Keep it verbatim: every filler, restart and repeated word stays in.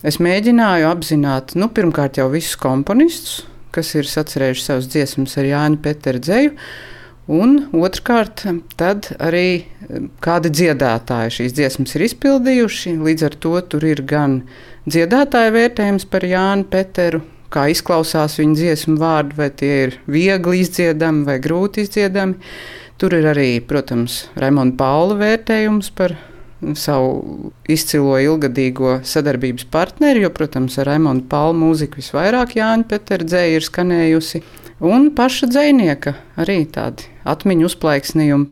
Es mēģināju apzināt, nu, pirmkārt jau visus komponistus, kas ir sacerējuši savas dziesmas ar Jāņa Petera dzeju, un otrkārt tad arī kādi dziedātāji šīs dziesmas ir izpildījuši. Līdz ar to tur ir gan dziedātāja vērtējums par Jānu Peteru, kā izklausās viņa dziesmu vārdi, vai tie ir viegli izdziedami vai grūti izdziedami. Tur ir arī, protams, Raimonda Paula vērtējums par savu izcilo ilgadīgo sadarbības partneri, jo, protams, ar Raimonda Paula mūziku visvairāk Jāņa Petera dzeja ir skanējusi, un paša dzejnieka arī tādi atmiņu uzplaiksnījumi.